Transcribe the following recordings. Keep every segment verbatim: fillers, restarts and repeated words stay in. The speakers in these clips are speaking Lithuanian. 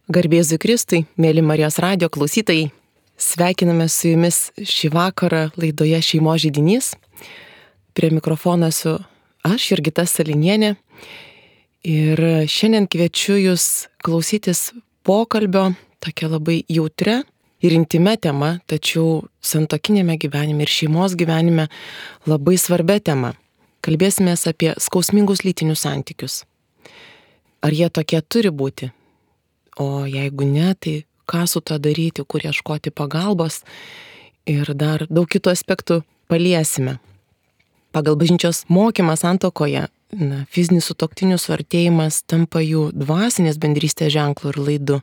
Garbėzui Kristui, mėly Marijos radijo klausytojai, sveikiname su jumis šį vakarą laidoje Šeimos židinys. Prie mikrofono esu aš, Jurgita Salinienė, ir šiandien kviečiu jūs klausytis pokalbio tokia labai jautria ir intime tema, tačiau santuokinėme gyvenime ir šeimos gyvenime labai svarbia tema. Kalbėsimės apie skausmingus lytinius santykius. Ar jie tokie turi būti? O jeigu ne, tai ką su to daryti, kur ieškoti pagalbos ir dar daug kitų aspektų paliesime. Pagal bažnyčios mokymą santuokoje, na, fizinis sutuoktinių suartėjimas tampa jų dvasinės bendrystės ženklu ir laidu.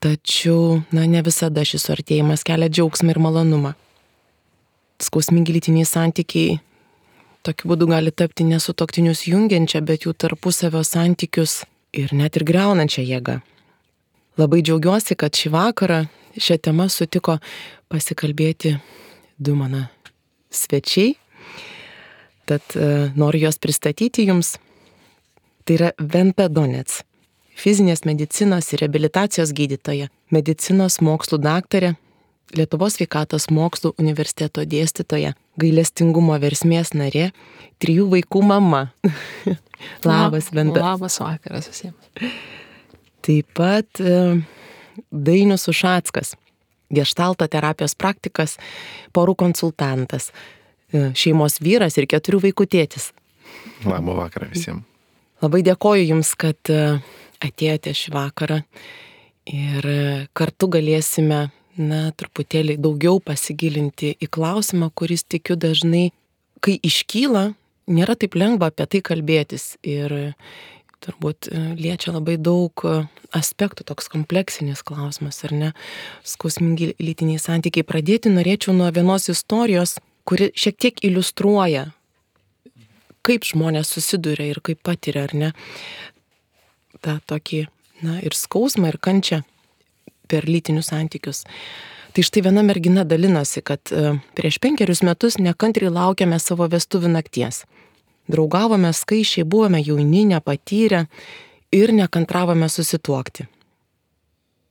Tačiau, na, ne visada šis suartėjimas kelia džiaugsmą ir malonumą. Skausmingi lytiniai santykiai tokiu būdu gali tapti ne sutuoktinius jungiančią, bet jų tarpusavio santykius ir net ir griaunančią jėgą. Labai džiaugiuosi, kad šį vakarą šią temą sutiko pasikalbėti du mano svečiai. Tad e, noriu juos pristatyti jums. Tai yra Venta Donec, fizinės medicinos ir reabilitacijos gydytoja, medicinos mokslų daktarė, Lietuvos sveikatos mokslų universiteto dėstytoja, gailestingumo versmės narė, trijų vaikų mama. Labas, Venta. Labas vakaras visiems. Taip pat e, Dainius Ušackas, geštalto terapijos praktikas, porų konsultantas, e, šeimos vyras ir keturių vaikų tėtis. Labą vakarą visiems. Labai dėkoju Jums, kad e, atėjote šį vakarą ir e, kartu galėsime, na, truputėlį daugiau pasigilinti į klausimą, kuris, tikiu, dažnai, kai iškyla, nėra taip lengva apie tai kalbėtis ir turbūt liečia labai daug aspektų, toks kompleksinis klausimas, ar ne, skausmingi lytiniai santykiai. Pradėti norėčiau nuo vienos istorijos, kuri šiek tiek iliustruoja, kaip žmonės susiduria ir kaip patiria, ar ne, tą tokį, na, ir skausmą, ir kančią per lytinius santykius. Tai štai viena mergina dalinosi, kad prieš penkerius metus nekantriai laukėme savo vestuvių nakties. Draugavome skaičiai, buvome jauni, nepatyrę ir nekantravome susituokti.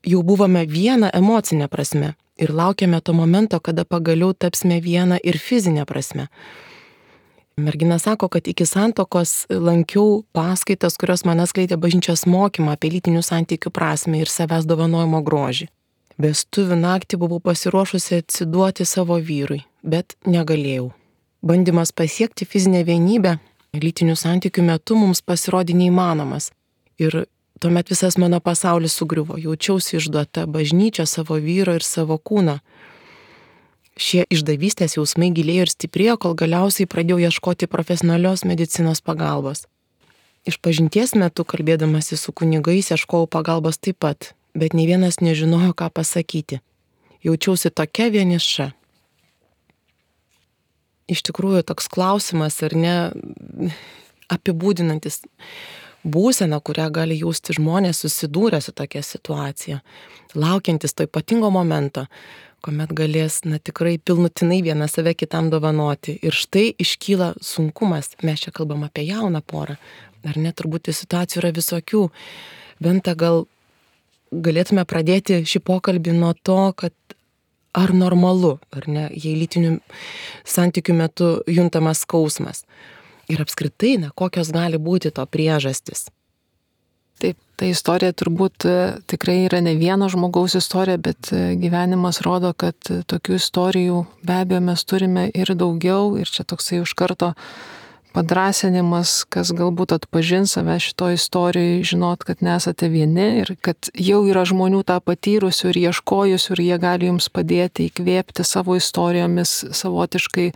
Jau buvome viena emocinė prasme ir laukėme to momento, kada pagaliau tapsime viena ir fizinė prasme. Mergina sako, kad iki santuokos lankiau paskaitas, kurios man atskleidė bažnyčios mokymą apie lytinių santykių prasmę ir savęs dovanojimo grožį. Vestuvių naktį buvau pasiruošusi atsiduoti savo vyrui, bet negalėjau. Bandymas pasiekti fizinę vienybę lytinių santykių metu mums pasirodė neįmanomas. Ir tuomet visas mano pasaulis sugriuvo. Jaučiausi išduota bažnyčia, savo vyro ir savo kūno. Šie išdavystės jausmai gilėjo ir stiprėjo, kol galiausiai pradėjau ieškoti profesionalios medicinos pagalbos. Išpažinties metu, kalbėdamasi su kunigais, ieškojau pagalbos taip pat, bet nei vienas nežinojo, ką pasakyti. Jaučiausi tokia vieniša. Iš tikrųjų, toks klausimas, ar ne, apibūdinantis būseną, kurią gali jausti žmonės susidūrę su tokia situacija, laukiantis to ypatingo momento, kuomet galės, na, tikrai pilnutinai vieną save kitam dovanoti. Ir štai iškyla sunkumas. Mes čia kalbam apie jauną porą. Ar ne, turbūt situacijų yra visokių. Venta, gal galėtume pradėti šį pokalbį nuo to, kad ar normalu, ar ne, jei lytinių santykių metu juntamas skausmas. Ir apskritai, na, kokios gali būti to priežastis. Taip, ta istorija turbūt tikrai yra ne vieno žmogaus istorija, bet gyvenimas rodo, kad tokių istorijų be abejo mes turime ir daugiau, ir čia toksai už karto padrasinimas, kas galbūt atpažins save šito istorijoje, žinot, kad nesate vieni ir kad jau yra žmonių tą patyrusių ir ieškojusių ir jie gali jums padėti įkvėpti savo istorijomis savotiškai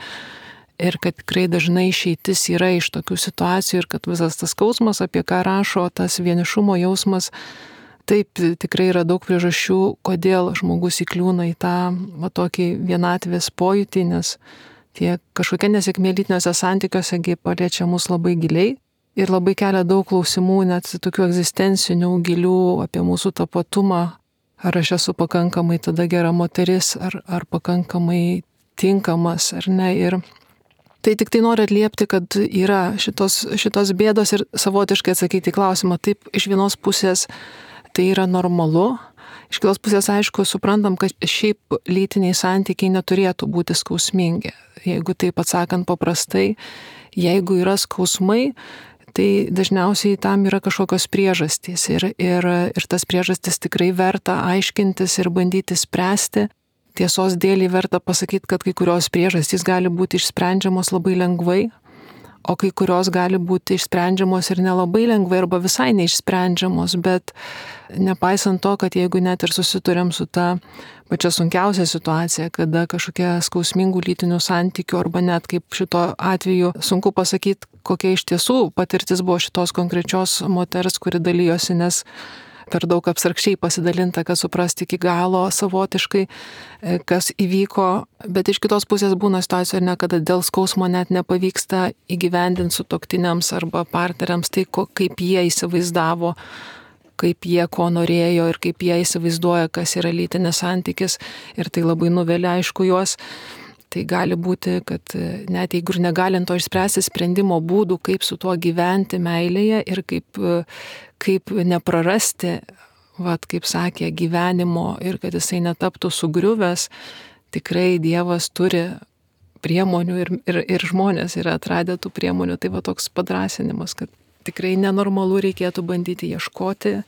ir kad tikrai dažnai išeitis yra iš tokių situacijų ir kad visas tas skausmas, apie ką rašo, tas vienišumo jausmas, taip tikrai yra daug priežasčių, kodėl žmogus įkliūna į tą va, tokį vienatvės pojūtį, nes tie kažkokie nesėkmė lytiniuose santykiuose paliečia mus labai giliai ir labai kelia daug klausimų, net tokių egzistencinių, gilių apie mūsų tapatumą. Ar aš esu pakankamai tada gera moteris, ar, ar pakankamai tinkamas, ar ne. Ir tai tik tai noriu atliepti, kad yra šitos, šitos bėdos ir savotiškai atsakyti į klausimą. Taip, iš vienos pusės tai yra normalu. Iš kitos pusės, aišku, suprantam, kad šiaip lytiniai santykiai neturėtų būti skausmingi. Jeigu taip atsakant paprastai, jeigu yra skausmai, tai dažniausiai tam yra kažkokios priežastys ir, ir, ir tas priežastis tikrai verta aiškintis ir bandyti spręsti. Tiesos dėlį verta pasakyti, kad kai kurios priežastys gali būti išsprendžiamos labai lengvai, o kai kurios gali būti išsprendžiamos ir nelabai lengvai arba visai neišsprendžiamos, bet nepaisant to, kad jeigu net ir susiduriam su ta pačia sunkiausia situacija, kada kažkokia skausmingų lytinių santykių arba net kaip šito atveju sunku pasakyti, kokia iš tiesų patirtis buvo šitos konkrečios moters, kuri dalyjosi, nes per daug abstrakčiai pasidalinta, kad suprasti iki galo savotiškai, kas įvyko, bet iš kitos pusės būna situacijų ir ne, kada dėl skausmo net nepavyksta įgyvendinti sutuoktiniams arba partneriams tai, ko, kaip jie įsivaizdavo, kaip jie ko norėjo ir kaip jie įsivaizduoja, kas yra lytinis santykis ir tai labai nuvelia, aišku, juos. Tai gali būti, kad net jeigu ir negalint to išspręsti sprendimo būdų, kaip su tuo gyventi meilėje ir kaip, kaip neprarasti, vat, kaip sakė, gyvenimo ir kad jisai netaptų sugriuvęs, tikrai Dievas turi priemonių ir, ir, ir žmonės yra atradę tų priemonių. Tai va toks padrąsinimas, kad tikrai nenormalu reikėtų bandyti ieškoti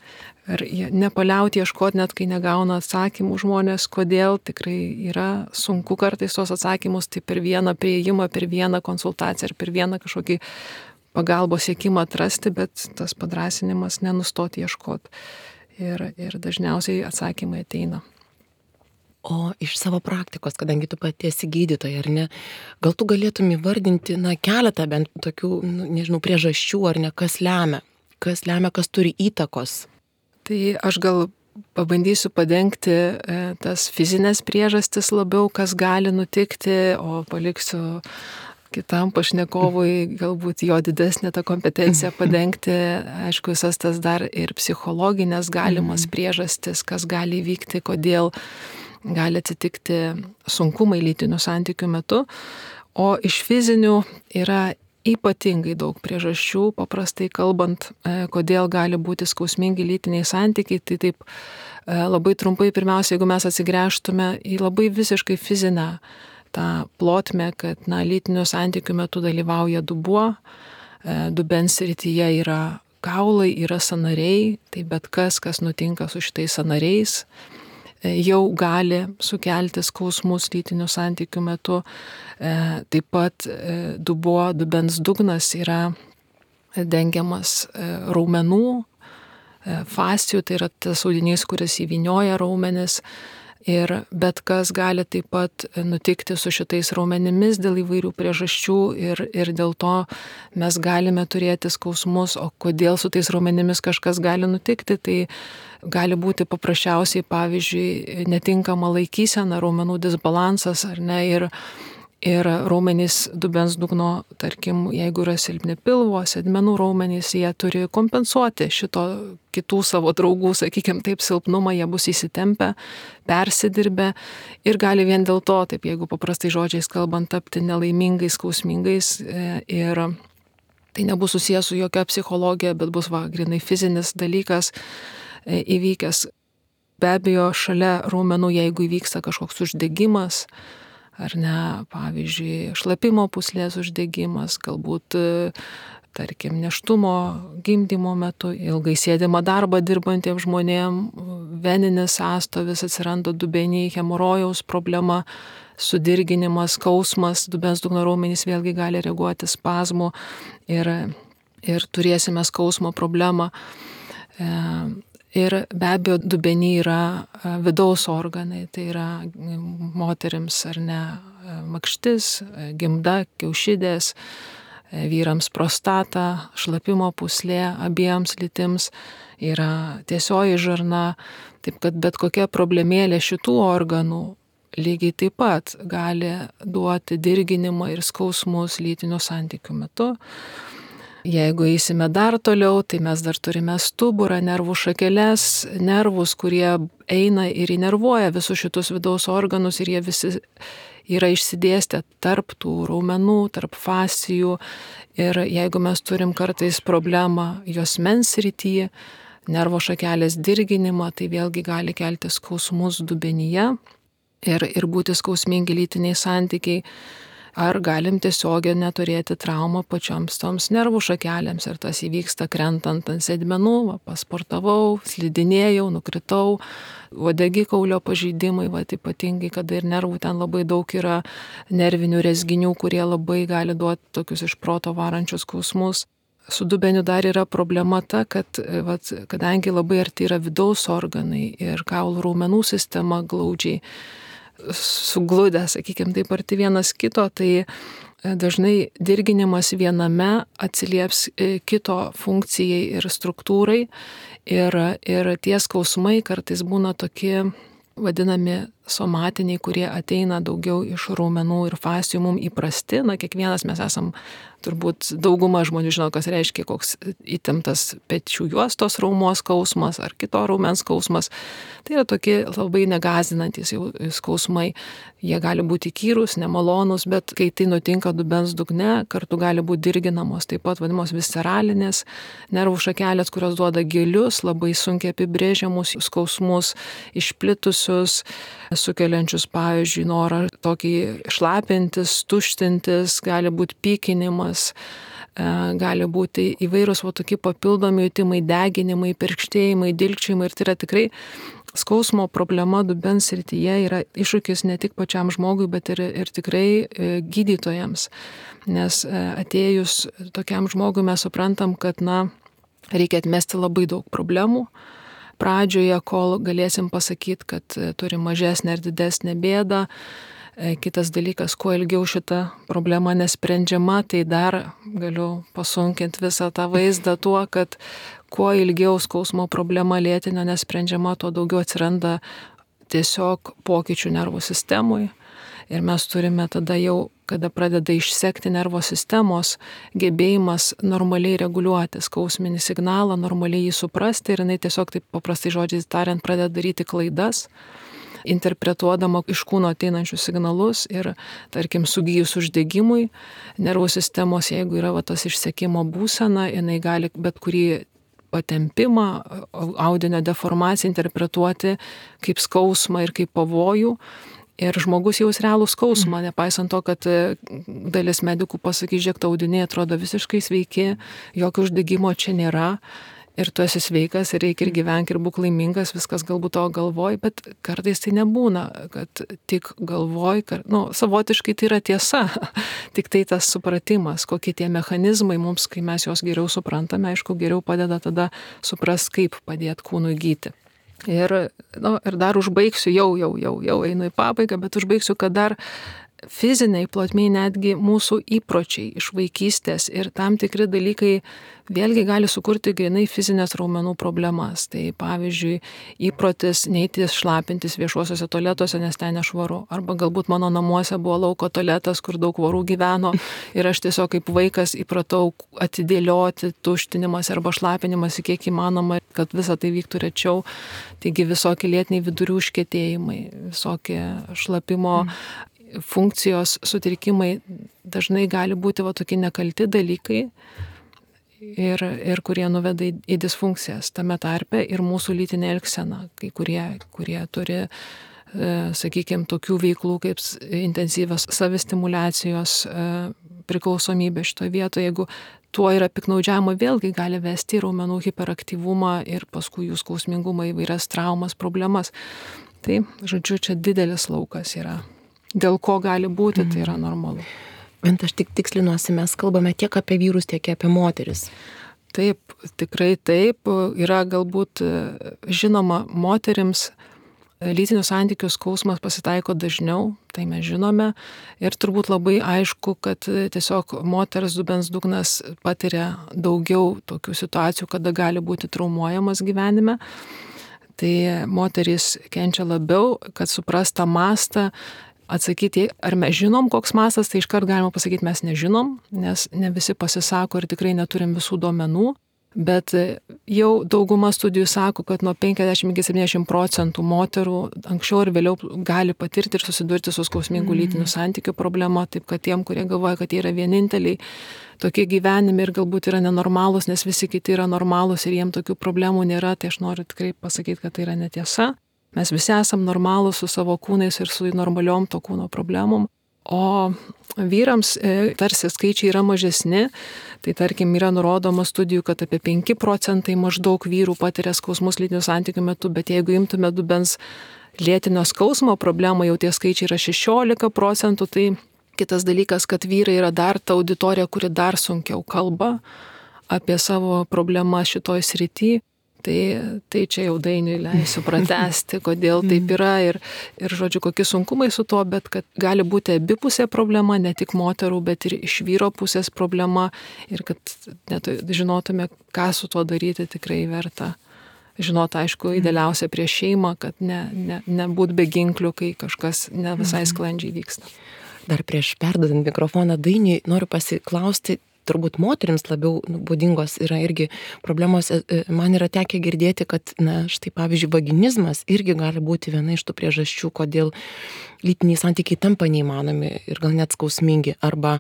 ir nepaliauti ieškoti, net kai negauna atsakymų žmonės, kodėl tikrai yra sunku kartais tos atsakymus, tai per vieną prieimą, per vieną konsultaciją ir per vieną kažkokį pagalbos siekimą atrasti, bet tas padrąsinimas nenustoti ieškoti. Ir, ir dažniausiai atsakymai ateina. O iš savo praktikos, kadangi tu pati esi gydytoja, ar ne, gal tu galėtum įvardinti, na, keletą bent tokių, nu, nežinau, priežasčių, ar ne, kas lemia, kas lemia, kas turi įtakos? Tai aš gal pabandysiu padengti e, tas fizinės priežastis labiau, kas gali nutikti, o paliksiu kitam pašnekovui galbūt jo didesnė ta kompetencija padengti, aišku, visas tas dar ir psichologinės galimas priežastis, kas gali vykti, kodėl gali atsitikti sunkumai lytinių santykių metu, o iš fizinių yra ypatingai daug priežasčių, paprastai kalbant, kodėl gali būti skausmingi lytiniai santykiai, tai taip labai trumpai, pirmiausia, jeigu mes atsigręžtume į labai visiškai fizinę tą plotmę, kad na, lytinių santykių metu dalyvauja dubuo, dubens srityje yra kaulai, yra sąnariai, tai bet kas, kas nutinka su šitais sąnariais, jau gali sukelti skausmus lytinių santykių metu. Taip pat dubuo, dubens dugnas yra dengiamas raumenų, fascijų, tai yra tas audinys, kuris įvynioja raumenis. Ir bet kas gali taip pat nutikti su šitais raumenimis dėl įvairių priežasčių ir, ir dėl to mes galime turėti skausmus, o kodėl su tais raumenimis kažkas gali nutikti, tai gali būti paprasčiausiai, pavyzdžiui, netinkama laikysena, raumenų disbalansas ar ne, ir, ir raumenys dubens dugno, tarkim, jeigu yra silpni pilvo, sėdmenų raumenys, jie turi kompensuoti šito kitų savo draugų, sakykime, taip silpnumą, jie bus įsitempę, persidirbę ir gali vien dėl to, taip jeigu paprastai žodžiais kalbant, tapti nelaimingais, skausmingais ir tai nebus susijęs su jokia psichologija, bet bus va, grinai fizinis dalykas įvykęs. Be abejo, šalia raumenų, jeigu įvyksta kažkoks uždegimas, ar ne, pavyzdžiui, šlapimo pūslės uždegimas, galbūt, tarkim, nėštumo, gimdymo metu, ilgai sėdimą darbą dirbantiems žmonėms, veninis sąstovis, atsiranda dubeniai, hemorojaus problema, sudirginimas, skausmas, dubens dugno raumenys vėlgi gali reaguoti spazmų ir, ir turėsime skausmo problemą. Ir be abejo, dubeniai yra vidaus organai, tai yra moterims ar ne makštis, gimda, kiaušidės, vyrams prostata, šlapimo pūslė, abiems lytims yra tiesioji žarna, taip kad bet kokia problemėlė šitų organų lygiai taip pat gali duoti dirginimą ir skausmus lytinių santykių metu. Jeigu eisime dar toliau, tai mes dar turime stuburą, nervų šakeles, nervus, kurie eina ir įnervuoja visus šitus vidaus organus ir jie visi yra išsidėstę tarp tų raumenų, tarp fascijų. Ir jeigu mes turim kartais problemą juosmens srityje, nervo šakelės dirginimą, tai vėlgi gali kelti skausmus dubenyje ir, ir būti skausmingi lytiniai santykiai. Ar galim tiesiog neturėti traumą pačioms toms nervų šakelėms ir tas įvyksta krentant ant sėdmenų, va, pasportavau, slidinėjau, nukritau, uodegikaulio pažeidimai, va, ypatingai, kada ir nervų ten labai daug yra nervinių rezginių, kurie labai gali duoti tokius iš proto varančius skausmus. Su dubeniu dar yra problema ta, kad va, kadangi labai arti yra vidaus organai ir kaulų raumenų sistema glaudžiai sugludę, sakykime, taip arti vienas kito, tai dažnai dirginimas viename atsilieps kito funkcijai ir struktūrai ir, ir tie skausmai kartais būna tokie vadinami somatiniai, kurie ateina daugiau iš raumenų ir fascijų, mums įprasti, na kiekvienas mes esam, turbūt dauguma žmonių žino, kas reiškia koks įtemptas pečių juostos raumos skausmas ar kito raumens skausmas. Tai yra tokie labai negazinantys jau skausmai. Jie gali būti įkyrūs, nemalonūs, bet kai tai nutinka dubens dugne, kartu gali būti dirginamos, taip pat vadinamos visceralinės nervų šakelės, kurios duoda gilius, labai sunkiai apibrėžiamus skausmus, išplitusius, sukeliančius, pavyzdžiui, norą tokį šlapintis, tuštintis, gali būti pykinimas, gali būti įvairūs va, tokie papildomi jutimai, deginimai, perkštėjimai, dilgčiojimai ir tai yra tikrai skausmo problema dubens srityje yra iššūkis ne tik pačiam žmogui, bet ir, ir tikrai gydytojams, nes atėjus tokiam žmogui mes suprantam, kad na, reikia atmesti labai daug problemų. Pradžioje, kol galėsim pasakyti, kad turi mažesnę ir didesnę bėdą. Kitas dalykas, kuo ilgiau šita problema nesprendžiama, tai dar galiu pasunkinti visą tą vaizdą tuo, kad kuo ilgiau skausmo problema lėtinio nesprendžiama, tuo daugiau atsiranda tiesiog pokyčių nervų sistemui. Ir mes turime tada jau, kada pradeda išsekti nervo sistemos, gebėjimas normaliai reguliuoti skausminį signalą, normaliai jį suprasti ir jinai tiesiog taip paprastai žodžiais tariant pradeda daryti klaidas, interpretuodama iš kūno ateinančius signalus ir, tarkim, sugijus uždegimui, nervų sistemos, jeigu yra va, tas išsekimo būsena, jinai gali bet kurį patempimą, audinio deformaciją interpretuoti kaip skausmą ir kaip pavojų. Ir žmogus jaus realų skausmą, nepaisant to, kad dalis medikų pasakys, žiūrėk, tau audiniai atrodo visiškai sveiki, jokio uždegimo čia nėra. Ir tu esi sveikas ir reikia ir gyvenk ir būk laimingas, viskas galbūt to galvoj, bet kartais tai nebūna, kad tik galvoj, kad, nu, savotiškai tai yra tiesa, tik tai tas supratimas, kokie tie mechanizmai mums, kai mes juos geriau suprantame, aišku, geriau padeda tada suprast, kaip padėti kūnui gyti. Ir, nu, ir dar užbaigsiu, jau, jau, jau, jau einu į pabaigą, bet užbaigsiu, kad dar fiziniai plotmiai netgi mūsų įpročiai iš vaikystės ir tam tikri dalykai vėlgi gali sukurti grinai fizinės raumenų problemas. Tai pavyzdžiui, įprotis neiti šlapintis viešuosiuose tualetuose, nes ten nešvaru. Arba galbūt mano namuose buvo lauko tualetas, kur daug vorų gyveno ir aš tiesiog kaip vaikas įpratau atidėlioti tuštinimas arba šlapinimas kiek įmanoma, kad visa tai vyktų rečiau. Taigi visokie lėtiniai vidurių užkietėjimai, visokie šlapimo mm. funkcijos sutrikimai dažnai gali būti va tokie nekalti dalykai ir, ir kurie nuveda į, į disfunkcijas tame tarpe ir mūsų lytinė elgsena, kai kurie, kurie turi, e, sakykime, tokių veiklų kaip intensyvios savistimuliacijos e, priklausomybė šitoje vietoje, jeigu tuo yra piknaudžiavimo, vėlgi gali vesti į raumenų hiperaktyvumą ir paskui jų skausmingumą, įvairias traumas, problemas. Tai, žodžiu, čia didelis laukas yra. Dėl ko gali būti, tai yra normalu. Bent aš tik tikslinuosi, mes kalbame tiek apie vyrus, tiek apie moteris. Taip, tikrai taip. Yra galbūt žinoma moterims lytinių santykių skausmas pasitaiko dažniau, tai mes žinome. Ir turbūt labai aišku, kad tiesiog moters dubens dugnas patiria daugiau tokių situacijų, kada gali būti traumuojamas gyvenime. Tai moterys kenčia labiau, kad suprast tą mastą. Atsakyti, ar mes žinom, koks mastas, tai iškart galima pasakyti, mes nežinom, nes ne visi pasisako ir tikrai neturim visų duomenų. Bet jau dauguma studijų sako, kad nuo penkiasdešimt iki septyniasdešimt procentų moterų anksčiau ir vėliau gali patirti ir susidurti su skausmingų lytinių santykių problema, taip kad tiem, kurie galvoja, kad jie yra vieninteliai tokie gyvenime ir galbūt yra nenormalūs, nes visi kiti yra normalūs ir jiem tokių problemų nėra, tai aš noriu tikrai pasakyti, kad tai yra netiesa. Mes visi esam normalūs su savo kūnais ir su normaliom to kūno problemom. O vyrams e, tarsi skaičiai yra mažesni, tai tarkim yra nurodoma studijų, kad apie penki procentai maždaug vyrų patiria skausmus lytinių santykių metu, bet jeigu imtume dubens lėtinio skausmo problemą, jau tie skaičiai yra šešiolika procentų, tai kitas dalykas, kad vyrai yra dar ta auditorija, kuri dar sunkiau kalba apie savo problemą šitoj srity. Tai, tai čia jau Dainiui leisiu pratęsti, kodėl taip yra ir, ir žodžiu, kokie sunkumai su to, bet kad gali būti abipusė problema, ne tik moterų, bet ir iš vyro pusės problema ir kad net žinotume, ką su tuo daryti tikrai verta. Žinot, aišku, idealiausia prieš šeimą, kad ne, ne, nebūt be ginklių, kai kažkas ne visai sklandžiai vyksta. Dar prieš perdodant mikrofoną Dainiui noriu pasiklausti, turbūt moterims labiau būdingos yra irgi problemos. Man yra tekę girdėti, kad, na, štai pavyzdžiui, vaginizmas irgi gali būti viena iš tų priežasčių, kodėl lytiniai santykiai tampa neįmanomi ir gal net skausmingi, arba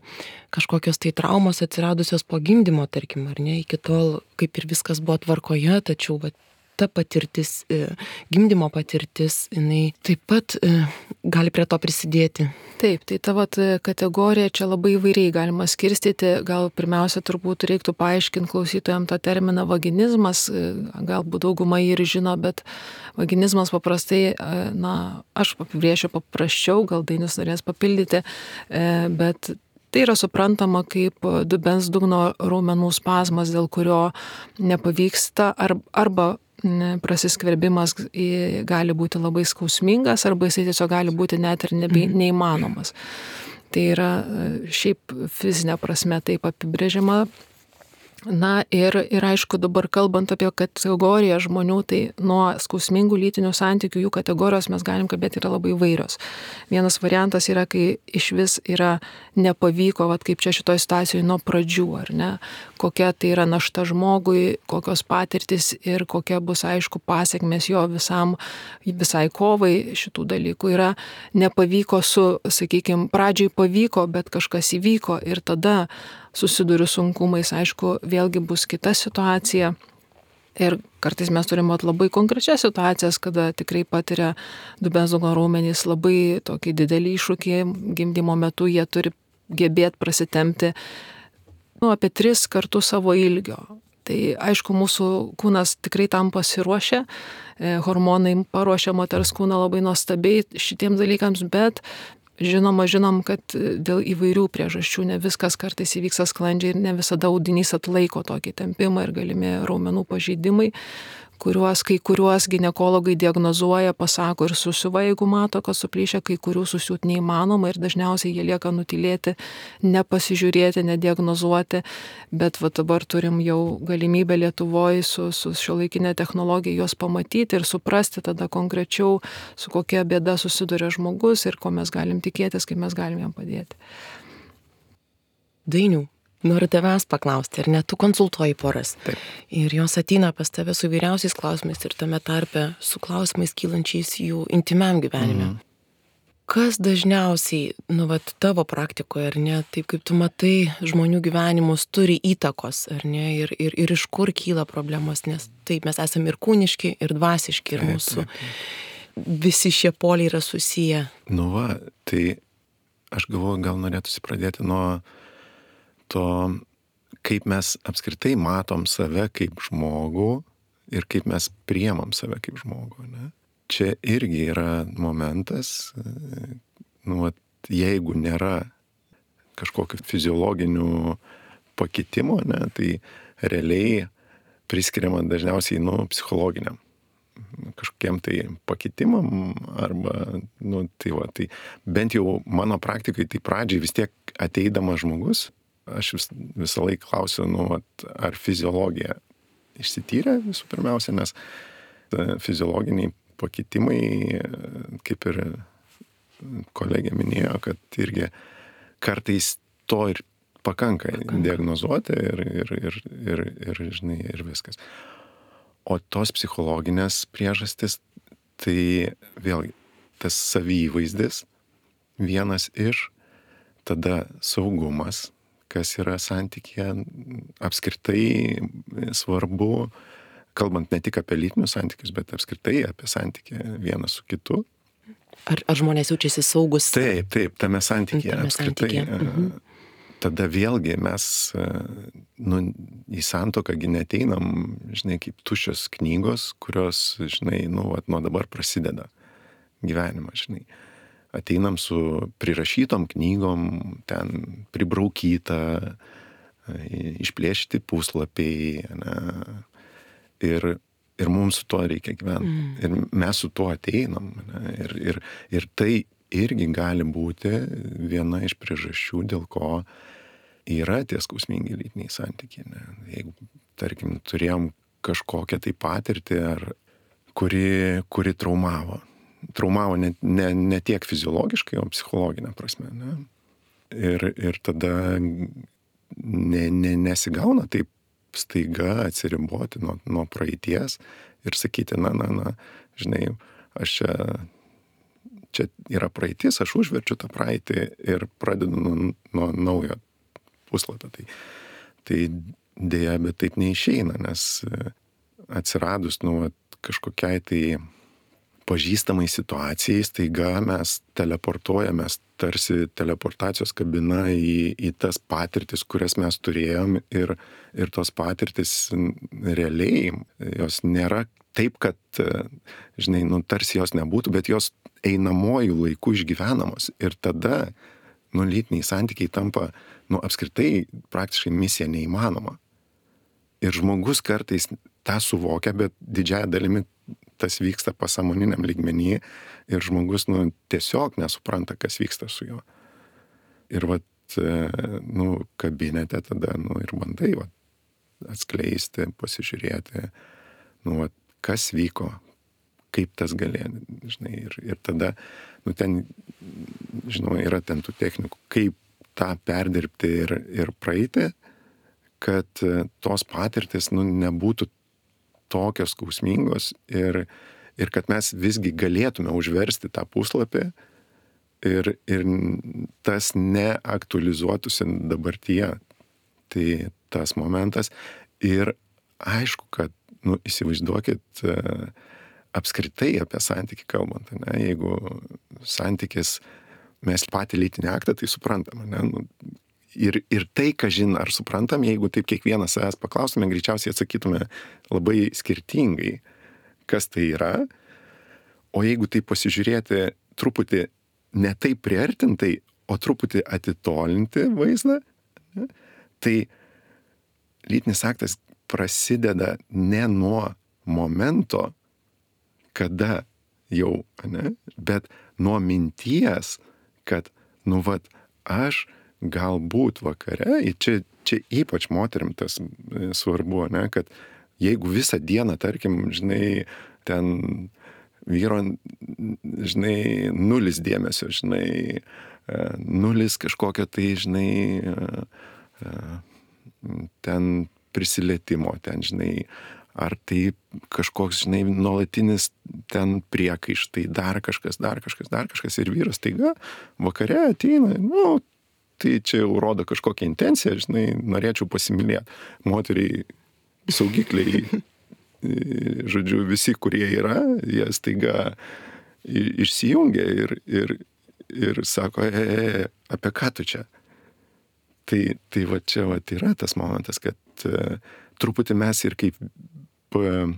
kažkokios tai traumos atsiradusios po gimdymo, tarkim, ar ne, iki tol kaip ir viskas buvo tvarkoje, tačiau va, ta patirtis, gimdymo patirtis, jinai taip pat gali prie to prisidėti. Taip, tai ta vat kategorija čia labai įvairiai galima skirstyti. Gal pirmiausia turbūt reiktų paaiškinti klausytojams tą terminą vaginizmas, galbūt dauguma jį ir žino, bet vaginizmas paprastai, na, aš apibrėšiu paprasčiau, gal Dainius norės papildyti, bet tai yra suprantama kaip dubens dugno raumenų spazmas, dėl kurio nepavyksta ar, arba prasiskverbimas gali būti labai skausmingas arba jisai tiesiog gali būti net ir nebe, neįmanomas. Tai yra šiaip fizinė prasme taip apibrėžiama. Na ir, ir aišku, dabar kalbant apie kategoriją žmonių, tai nuo skausmingų lytinių santykių jų kategorijos mes galim kalbėti yra labai įvairios. Vienas variantas yra, kai iš vis yra nepavyko, vat kaip čia šitoj situacijoje nuo pradžių, ar ne, kokia tai yra našta žmogui, kokios patirtis ir kokia bus, aišku, pasiekmės jo visam, visai kovai šitų dalykų. Yra nepavyko su, sakykime, pradžiai pavyko, bet kažkas įvyko ir tada susiduriu sunkumais, aišku, vėlgi bus kita situacija. Ir kartais mes turime labai konkrečias situacijas, kada tikrai patiria dubens dugno raumenys labai tokį didelį iššūkį gimdymo metu, jie turi gebėti prasitempti nu, apie tris kartus savo ilgio. Tai aišku, mūsų kūnas tikrai tam pasiruošia, hormonai paruošia moters kūną labai nuostabiai šitiems dalykams, bet žinoma, žinom, kad dėl įvairių priežasčių ne viskas kartais įvyksta sklandžiai ir ne visada audinys atlaiko tokį tempimą ir galimi raumenų pažeidimai, kuriuos kai kuriuos ginekologai diagnozuoja, pasako ir susiuva, jeigu mato, kad suplyšia, kai kurių susiūt neįmanoma ir dažniausiai jie lieka nutylėti, nepasižiūrėti, nediagnozuoti, bet va dabar turim jau galimybę Lietuvoje su, su šiuolaikinė technologija juos pamatyti ir suprasti tada konkrečiau, su kokia bėda susiduria žmogus ir ko mes galim tikėtis, kaip mes galim jam padėti. Dainių, noriu tavęs paklausti, ar ne, tu konsultuoji poras. Taip. Ir jos ateina pas tave su įvairiausiais klausimais ir tame tarpe su klausimais kylančiais jų intimiam gyvenime. Mm. Kas dažniausiai, nu, vat, tavo praktikoje, ar ne, taip kaip tu matai, žmonių gyvenimus turi įtakos, ar ne, ir, ir, ir iš kur kyla problemos, nes taip, mes esame ir kūniški, ir dvasiški, ir Taip, mūsų taip, taip. visi šie poliai yra susiję. Nu va, tai aš galvoju, gal norėtųsi pradėti nuo to, kaip mes apskritai matom save kaip žmogų ir kaip mes priemam save kaip žmogų, ne? Čia irgi yra momentas, nu, vat, jeigu nėra kažkokių fiziologinių pakitimų, ne, tai realiai priskiriama dažniausiai, nu, psichologiniam kažkokiem tai pakitimam arba, nu, tai va, tai bent jau mano praktikai, tai pradžiai vis tiek ateidamas žmogus, aš vis, visą laiką klausiu, nu, ar fiziologija išsityrė visų pirmiausia, nes fiziologiniai pakitimai, kaip ir kolegė minėjo, kad irgi kartais to ir pakanka, pakanka. diagnozuoti ir, ir, ir, ir, ir, žinai, ir viskas. O tos psichologinės priežastis, tai vėlgi, tas savyvaizdis vienas iš, tada saugumas, kas yra santykyje, apskritai svarbu, kalbant ne tik apie lytinius santykius, bet apskritai apie santykį vienas su kitu. Ar, ar žmonės jaučiasi saugus? Taip, taip, tame santykyje tame apskritai. santykyje. Mhm. Tada vėlgi mes nu, į santuoką gi neteinam, žinai, kaip tuščios knygos, kurios, žinai, nu, vat, nuo dabar prasideda gyvenimas, žinai. Ateinam su prirašytom knygom, ten pribraukyta, išplėšti puslapiai, ne, ir, ir mums su tuo reikia gyventi. Mm. Ir mes su tuo ateinam, ne, ir, ir, ir tai irgi gali būti viena iš priežasčių, dėl ko yra tie skausmingi lytiniai santykiai. Ne? Jeigu, tarkim, turėjom kažkokią tai patirtį, ar, kuri, kuri traumavo. Traumavo ne, ne, ne tiek fiziologiškai, o psichologinė prasme. Ne? Ir, ir tada ne, ne, nesigauna taip staiga atsiriboti nuo, nuo praeities ir sakyti, na, na, na, žinai, aš čia čia yra praeitis, aš užverčiu tą praeitį ir pradedu nuo, nuo naujo puslapio. Tai, tai dėja, bet taip neišeina, nes atsiradus nu, kažkokiai tai pažįstamai situacijai, staiga mes teleportuojamės, tarsi teleportacijos kabina į, į tas patirtis, kurias mes turėjom ir, ir tos patirtis realiai, jos nėra taip, kad, žinai, nu, tarsi jos nebūtų, bet jos einamojų laikų išgyvenamos. Ir tada, nu, lytiniai santykiai tampa, nu, apskritai praktiškai misija neįmanoma. Ir žmogus kartais tą suvokia, bet didžiąją dalimi tas vyksta pasąmoniniam lygmenyje ir žmogus, nu, tiesiog nesupranta, kas vyksta su juo. Ir vat, nu, kabinete tada, nu, ir bandai, vat, atskleisti, pasižiūrėti, nu, vat, kas vyko, kaip tas galėjo, žinai, ir, ir tada, nu, ten, žinau, yra ten tų technikų, kaip tą perdirbti ir, ir praeiti, kad tos patirtis, nu, nebūtų tokios skausmingos ir, ir kad mes visgi galėtume užversti tą puslapį ir, ir tas neaktualizuotųsi dabartyje. Tai tas momentas. Ir aišku, kad, nu, įsivaizduokit apskritai apie santykį kalbant, ne? Jeigu santykis, mes patį lytinį aktą, tai suprantam, ne? Nu, Ir, ir tai, ką žin, ar suprantam, jeigu taip kiekvienas savęs paklaustume, greičiausiai atsakytume labai skirtingai, kas tai yra. O jeigu tai pasižiūrėti truputį ne taip priartintai, o truputį atitolinti vaizdą, ne, tai lytinis aktas prasideda ne nuo momento, kada jau, ne, bet nuo minties, kad, nu, vat, aš galbūt vakare, čia, čia ypač moterim tas svarbu, ne, kad jeigu visą dieną, tarkim, žinai, ten vyro, žinai, nulis dėmesio, žinai, nulis kažkokio tai, žinai, ten prisilietimo, ten, žinai, ar tai kažkoks, žinai, nuolatinis ten priekaištai, dar kažkas, dar kažkas, dar kažkas, ir vyras taiga vakare ateina, nu, tai čia jau rodo kažkokią intenciją, žinai, norėčiau pasimylėti. Moteriai saugikliai, žodžiu, visi, kurie yra, jie staiga išsijungia ir, ir, ir sako, e, e, apie ką tu čia? Tai, tai va čia va, yra tas momentas, kad uh, truputį mes ir kaip uh,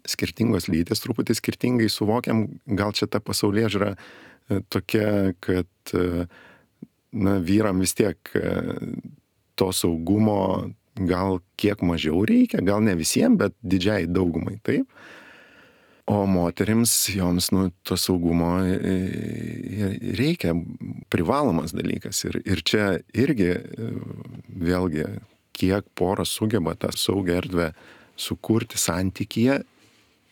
skirtingos lytis, truputį skirtingai suvokiam, gal čia ta pasaulėžiūra uh, tokia, kad uh, na, vyram vis tiek to saugumo gal kiek mažiau reikia, gal ne visiems, bet didžiai daugumai taip. O moterims, joms, nu, to saugumo reikia, privalomas dalykas. Ir, ir čia irgi, vėlgi, kiek poros sugeba tą saugią erdvę sukurti santykyje,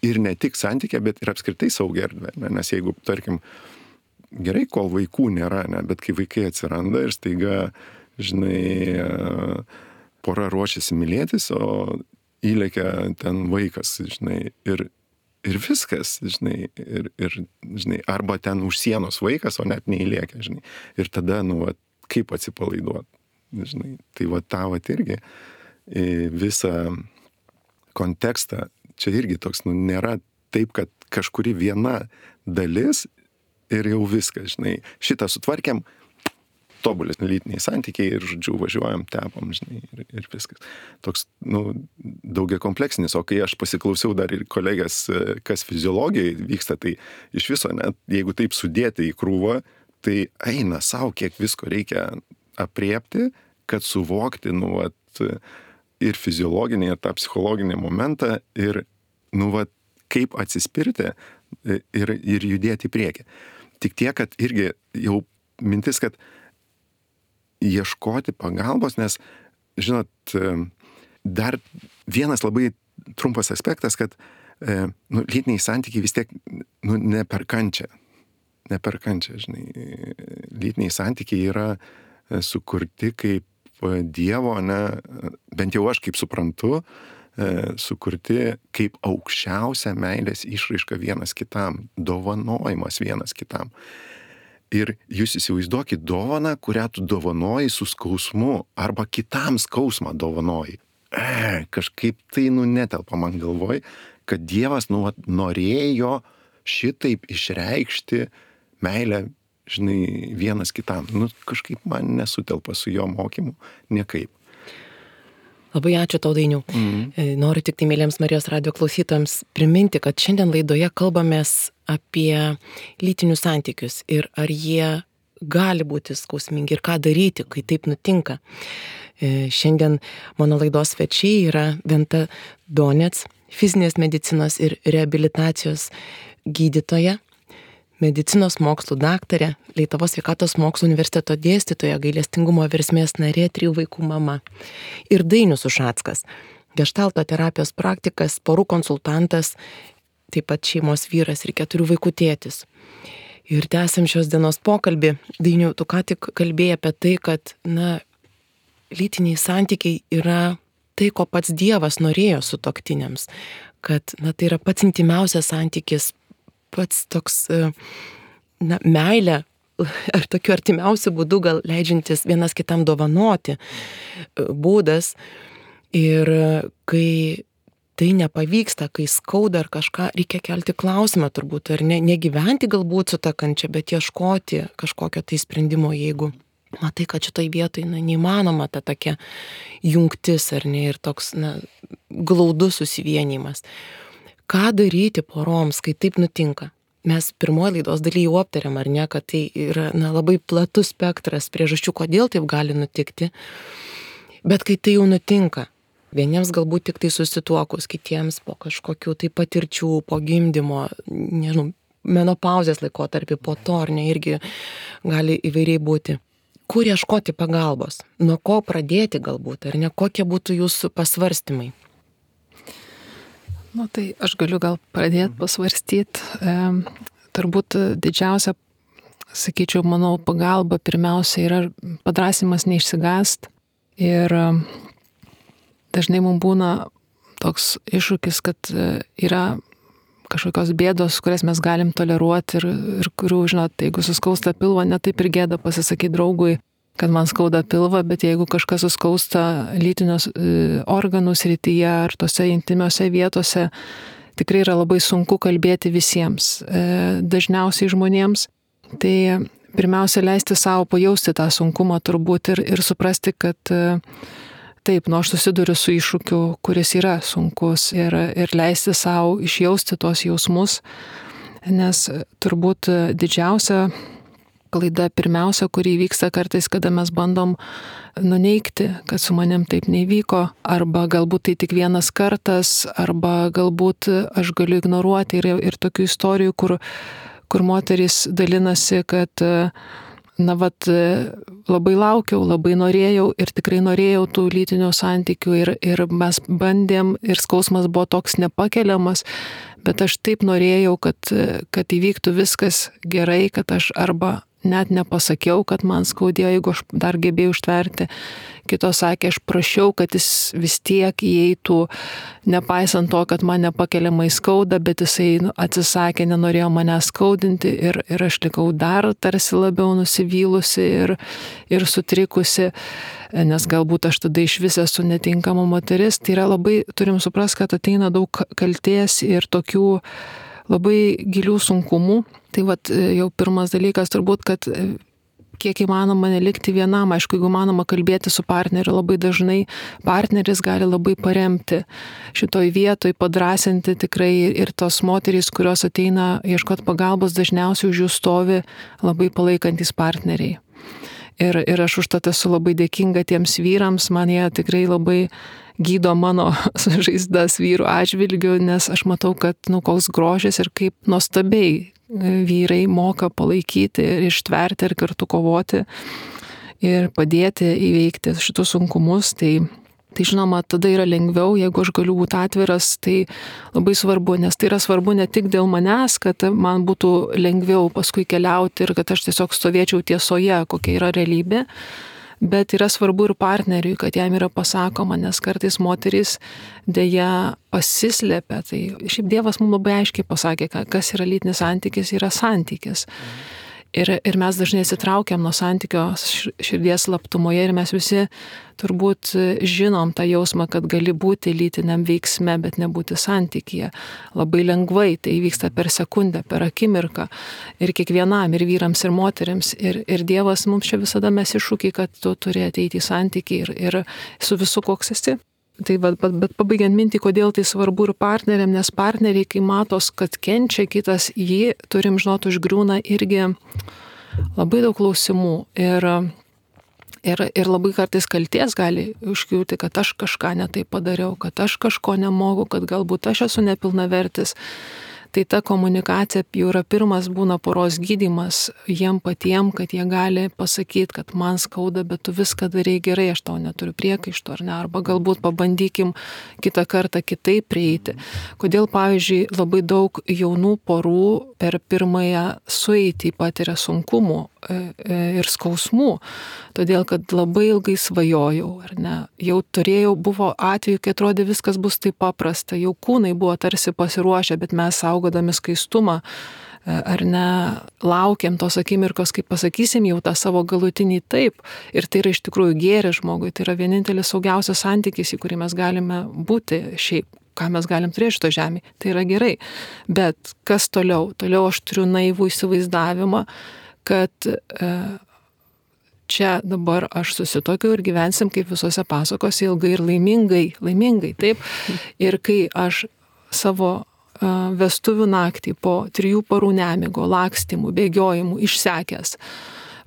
ir ne tik santykyje, bet ir apskritai saugią erdvę. Nes jeigu, tarkim, gerai, kol vaikų nėra, ne, bet kai vaikai atsiranda ir staiga, žinai, pora ruošiasi mylėtis, o įlekia ten vaikas, žinai, ir, ir viskas, žinai, ir, ir, žinai, arba ten už sienos vaikas, o net neįlėkia, žinai. Ir tada, nu, va, kaip atsipalaiduot, žinai. Tai va, tą va irgi visą kontekstą, čia irgi toks, nu, nėra taip, kad kažkuri viena dalis ir jau viskas, žinai. Šitą sutvarkėm, tobulis lytiniai santykiai ir, žodžiu, važiuojam, tepam, žinai, ir, ir viskas. Toks, nu, daugia kompleksinis, o kai aš pasiklausiau dar ir kolegės, kas fiziologijai vyksta, tai iš viso, net jeigu taip sudėti į krūvą, tai eina savo, kiek visko reikia apriepti, kad suvokti, nu, vat, ir fiziologinį, ir tą psichologinį momentą, ir, nu, vat, kaip atsispirti ir, ir judėti į priekį. Tik tiek, kad irgi jau mintis, kad ieškoti pagalbos, nes, žinot, dar vienas labai trumpas aspektas, kad nu, lytiniai santykiai vis tiek nu, ne per kančią. Ne per kančią, žinai. Lytiniai santykiai yra sukurti kaip Dievo, ne, bent jau aš kaip suprantu, sukurti kaip aukščiausia meilės išraiška vienas kitam, dovanojimas vienas kitam. Ir jūs įsivaizduokit dovaną, kurią tu dovanoji su skausmu, arba kitam skausmą dovanoji. E, kažkaip tai, nu, netelpa man galvoj, kad Dievas, nu, norėjo šitaip išreikšti meilę, žinai, vienas kitam. Nu, kažkaip man nesutelpa su jo mokymu, niekaip. Labai ačiū tau, Dainiau. Mm-hmm. Noriu tik tai, mėlyms Marijos radijo klausytojams, priminti, kad šiandien laidoje kalbamės apie lytinius santykius ir ar jie gali būti skausmingi ir ką daryti, kai taip nutinka. Šiandien mano laidos svečiai yra Venta Donec, fizinės medicinos ir reabilitacijos gydytoja, medicinos mokslų daktarė, Lietuvos sveikatos mokslų universiteto dėstytoja, gailestingumo versmės narė, trijų vaikų mama. Ir Dainius Ušackas, geštalto terapijos praktikas, porų konsultantas, taip pat šeimos vyras ir keturių vaikų tėtis. Ir tęsiam šios dienos pokalbį. Dainiau, tu ką tik kalbėjai apie tai, kad, na, lytiniai santykiai yra tai, ko pats Dievas norėjo sutuoktiniams. Kad, na, tai yra pats intimiausias santykis, pats toks, na, meilė, ar tokiu artimiausiu būdu gal leidžiantis vienas kitam dovanoti būdas. Ir kai tai nepavyksta, kai skauda ar kažką, reikia kelti klausimą turbūt, ar ne, negyventi galbūt su ta kančia, bet ieškoti kažkokio tai sprendimo, jeigu matai, kad šitoj vietoj, na, neįmanoma ta tokia jungtis, ar ne, ir toks, na, glaudus susivienijimas. Ką daryti poroms, kai taip nutinka? Mes pirmoje laidos dalyje jau aptarėm, ar ne, kad tai yra, na, labai platus spektras priežasčių, kodėl taip gali nutikti. Bet kai tai jau nutinka, vieniems galbūt tik tai susituokus, kitiems po kažkokių tai patirčių, po gimdymo, nežinau, menopauzės laikotarpį, po to, ar ne, irgi gali įvairiai būti. Kur ieškoti pagalbos? Nuo ko pradėti galbūt, ar ne? Kokie būtų jūsų pasvarstymai? Nu, tai aš galiu gal pradėti pasvarstyti. E, turbūt didžiausia, sakyčiau, manau, pagalba pirmiausia yra padrąsimas neišsigąst. Ir dažnai mums būna toks iššūkis, kad yra kažkokios bėdos, kurias mes galim toleruoti ir, ir kurių, žinot, jeigu suskausta pilvą, ne taip ir gėda pasisakyti draugui, kad man skauda pilvą, bet jeigu kažkas suskausta lytinius organų srityje ar tose intimiose vietose, tikrai yra labai sunku kalbėti visiems, dažniausiai žmonėms. Tai pirmiausia, leisti savo pajausti tą sunkumą turbūt ir, ir suprasti, kad taip, nu aš susiduriu su iššūkiu, kuris yra sunkus ir, ir leisti savo išjausti tos jausmus, nes turbūt didžiausia klaida pirmiausia, kuri vyksta kartais, kada mes bandom nuneigti, kad su manim taip nevyko, arba galbūt tai tik vienas kartas, arba galbūt aš galiu ignoruoti. Ir, ir tokių istorijų, kur, kur moterys dalinasi, kad na, vat, labai laukiau, labai norėjau ir tikrai norėjau tų lytinių santykių ir, ir mes bandėm ir skausmas buvo toks nepakeliamas, bet aš taip norėjau, kad, kad įvyktų viskas gerai, kad aš arba net nepasakiau, kad man skaudėjo, jeigu aš dar gebėjau ištverti. Kitos sakė, aš prašiau, kad jis vis tiek įeitų, nepaisant to, kad man nepakeliamai skauda, bet jisai nu, atsisakė, nenorėjo mane skaudinti ir, ir aš likau dar tarsi labiau nusivylusi ir, ir sutrikusi, nes galbūt aš tada iš vis esu netinkama moteris. Tai yra labai, turim suprasti, kad ateina daug kaltės ir tokių labai gilių sunkumų. Tai vat, jau pirmas dalykas turbūt, kad kiek įmanoma nelikti vienam, aišku, jeigu įmanoma kalbėti su partneriu, labai dažnai partneris gali labai paremti šitoj vietoj, padrasinti tikrai ir tos moterys, kurios ateina ieškoti pagalbos, dažniausiai už jų stovi labai palaikantis partneriai. Ir, ir aš užtat esu labai dėkinga tiems vyrams, man jie tikrai labai gydo mano sužaizdas vyrų atžvilgių, nes aš matau, kad nu, koks grožis ir kaip nuostabiai vyrai moka palaikyti ir ištverti ir kartu kovoti ir padėti įveikti šitus sunkumus. Tai, tai žinoma, tada yra lengviau, jeigu aš galiu būti atviras, tai labai svarbu, nes tai yra svarbu ne tik dėl manęs, kad man būtų lengviau paskui keliauti ir kad aš tiesiog stovėčiau tiesoje, kokia yra realybė, bet yra svarbu ir partneriui, kad jam yra pasakoma, nes kartais moterys dėja pasislepia. Tai šiaip Dievas mums labai aiškiai pasakė, kas yra lytinis santykis, yra santykis. Ir, ir mes dažnai atsitraukiam nuo santykio širdies slaptumoje ir mes visi turbūt žinom tą jausmą, kad gali būti lytiniam veiksme, bet nebūti santykyje. Labai lengvai tai vyksta per sekundę, per akimirką ir kiekvienam, ir vyrams, ir moteriams. Ir, ir Dievas mums čia visada mes iššūkį, kad tu turi ateiti į santykį ir, ir su visu koks esi. Tai bet, bet, bet pabaigiant mintį, kodėl tai svarbu ir partneriam, nes partneriai, kai matos, kad kenčia kitas, jį, turim žinoti, užgriūna irgi labai daug klausimų. Ir, ir, ir labai kartais kalties gali užkliūti, kad aš kažką netai padariau, kad aš kažko nemoku, kad galbūt aš esu nepilnavertis. Tai ta komunikacija jau yra pirmas būna poros gydymas jiem patiem, kad jie gali pasakyti, kad man skauda, bet tu viską darai gerai, aš tau neturiu priekaištų ar ne, arba galbūt pabandykim kitą kartą kitaip prieiti. Kodėl, pavyzdžiui, labai daug jaunų porų per pirmąją sueitį patiria sunkumų ir skausmų, todėl kad labai ilgai svajojau, ar ne, jau turėjau, buvo atveju, kai atrodė viskas bus taip paprasta, jau kūnai buvo tarsi pasiruošę, bet mes saugodami skaistumą, ar ne, laukiam tos akimirkos, kaip pasakysim jau tą savo galutinį taip, ir tai yra iš tikrųjų gėris žmogui, tai yra vienintelis saugiausias santykis, į kurį mes galime būti šiaip, ką mes galim turėti šito žemėje, tai yra gerai, bet kas toliau? Toliau aš turiu naivų įsivaizdavimą, kad e, čia dabar aš susitokiu ir gyvensim kaip visose pasakose ilgai ir laimingai, laimingai, taip. Ir kai aš savo e, vestuvių naktį po trijų parų nemigo, lakstymų, bėgiojimų, išsekęs,